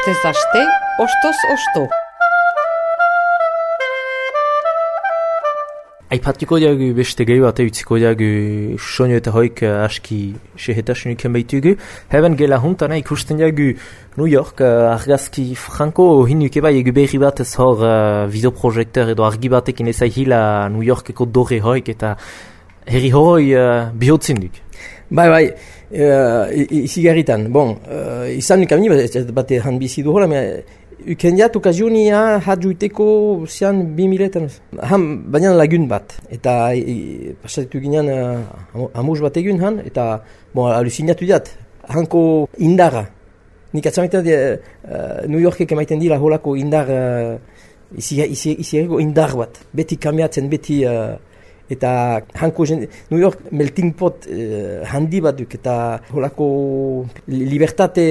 Astez aste, ostoz osto. Aipatiko diagu beste gehi bat utziko diagu soinu eta hoik aski sehetasunik baitugu. Heben gela huntana ikusten diagu New York argazki franko hinuke bai egu berri bat ez hor videoprojektor edo argi batekin ezaihila New Yorkeko dore hoik eta herri horoi bihotzen duk. Bai, izigarritan. Bon, izan nik amini bate han bizidu hola, ukendiat okazionia hadjuiteko zian 2000-etan. Baina lagun bat. Eta pasatetu ginean amuz bat egun han, eta alucinatu diat. Hanko indara. Nik atzamaiten New Yorkek emaiten dira holako indar, izierriko indar bat. Beti kamiatzen, beti... Eta hanko New York melting pot handi bat duk, eta holako libertate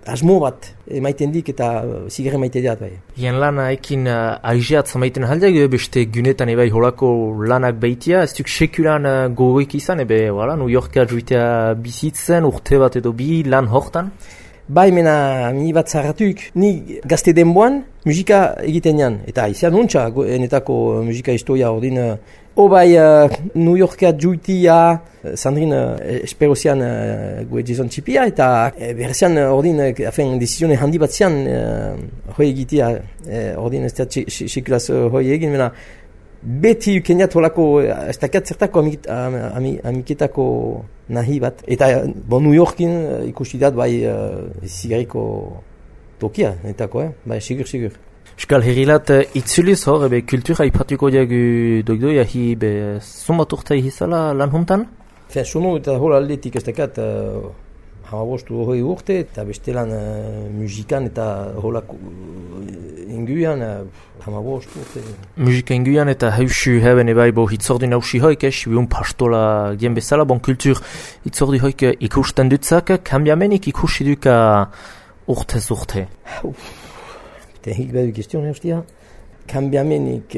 asmo bat emaiten dik eta zigarre maite diat bai. Ian lana ekin aizeat zamaiten haldeak beste gunetan ebai holako lanak baitia, ez duk sekulan gogoik izan, New Yorka juitea bizitzen, urte bat edo bi lan hortan? Bai, mena, ni bat zarratuk, ni gazte denboan musika egiten jan. Eta izan nuntza, enetako musika historia ordin. New Yorka juitia, Sandrine espero zian gue Jason Txipia, eta berrezian ordin, desizione handi bat zian hoi egitea, ordin ez da sekulaz hoi egin, mena, beti ukeniat holako, ez dakat zertako amiketako nahi bat. Eta New Yorkin ikusi dat bai zigarriko tokia, netako, bai, sigur. Euskal herrilat itzuliz hor, kultura ipatuko diagu dogdoi, ahi zumbat urte izala lan hontan? Sono eta hola aldetik ez dakat hamabostu hori urte, eta beste lan musikan eta holako inguian hamabostu urte. Musika inguian eta hausu heben ebai hitzordi nausi hoik, sibiun pastola dien bezala, kultur hitzordi hoik ikusten dutzak, kambiamenik ikusi duka urtez urte? Hik badu question, hostia. Kambiamenik,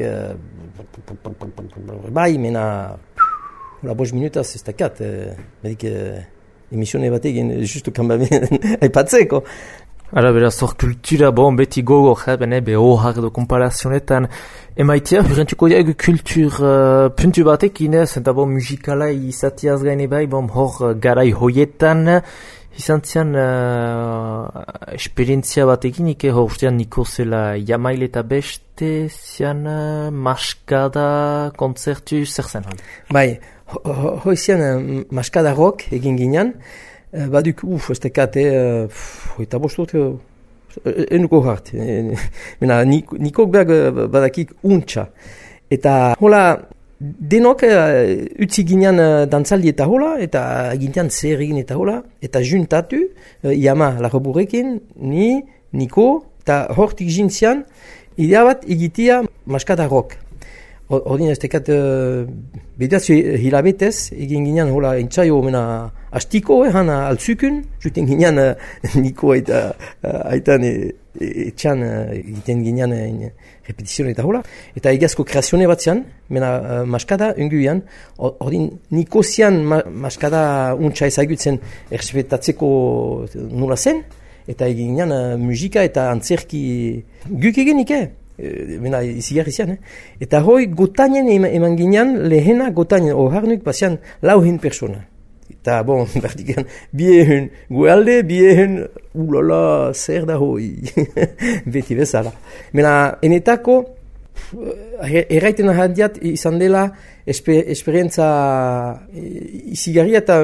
bai, mena, bos minutaz ez dakat, medik emisione bat egin, justu kambiamen aipatzeko. Ara beraz, hor kultura, beti gogo, ohar edo komparazionetan, emaitia, hurrentuko diagu kultur puntu batekin, eta musikala izatiaz gaine bai, hor garai hoietan, izan zian esperientzia batekin, hor ustean niko zela jamaile eta beste zian maskada kontzertu zer zen hori? Bai, hoi zian maskada rock egin ginean, baduk, ez dekat, eta bostot, enuko hart, nikok berg badakik untxa. Eta hola, denok utzi ginean dantzaldi eta hola, eta gintean zer egin eta hola, eta juntatu, Yama lagoburekin, niko, eta hortik jintzian, idea bat egitea maskada rock. Ordin ez dekat, bedatzu hilabetez, egin ginean hola entzaio mena astiko, hana altzukun, juten ginean niko eta aitan etxan egiten ginean repetizion eta hola. Eta egazko kreazione bat zian, mena maskada unguian, ordin niko zian maskada untsa ezagutzen errespetatzeko nola zen, eta egin ginean musika eta antzerki guk egenik, mena izigarri zian, Eta hoi gotainen eman ginean, lehena gotainen, oharnuk bazian lauhen persona. Eta berdikan, biehen gualde, biehen, ulala, zer da hoi, beti bezala. Mena, enetako, erraiten ahadiat izan dela esperientza izigarri eta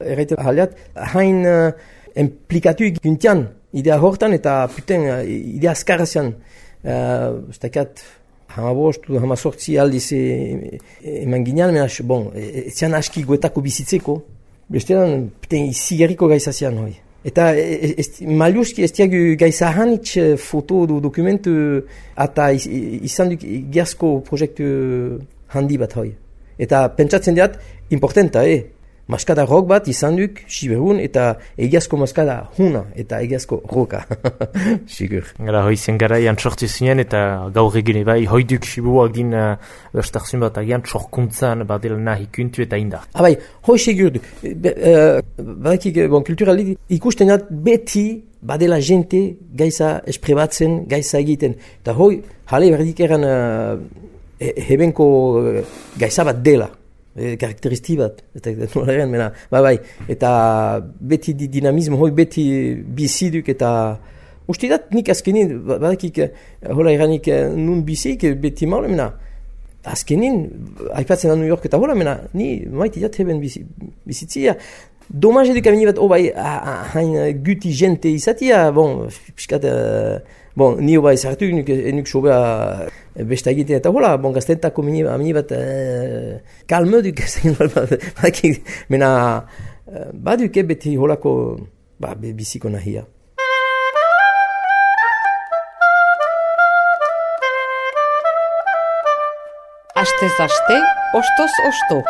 erraiten ahadiat, hain implikatu gintian, idea hortan eta puten idea askarra zian. Ztakat, hamasortzi aldiz eman ginean, zian aski goetako bizitzeko, bestean izigarriko gaizazian hoi. Eta maliuski ez diagu gaizahanitz foto dokumentu eta izan duk giazko proiektu handi bat hoi. Eta pentsatzen diat, importanta, maskada rock bat izan duk, siberun, eta egiazko maskada huna, eta egiazko roka. Sigur. Gara, hoizien garaian sortu zinen, eta gaur egin bai, hoiduk sibuak din bestarzun bat agian txorkuntzan badela nahi kuntu eta indar. Bai, hoi segur du. Badakik, kulturali ikusten dut beti badela jente gaiza esprebatzen, gaiza egiten. Eta hoi, jale berdik eran hebenko gaiza bat dela. Karakteristi bat, eta nolaren, mena, bai, eta beti dinamismo, hoi beti biziduk, eta uste dat nik azkenin, badakik, hola eranik nun bizik, beti maule, mena, azkenin, aipatzen da New York eta hola, mena, ni maiti dat heben bizitzia, domaz eduk amini bat, bai, hain guti jente izatia, bon, piskat, bon, nio bai zartu, enuk sobea besta egiten eta hola, bon, gaztentako amini bat kalme duk, mena, baduk beti holako, biziko nahia. Astez aste, ostoz osto.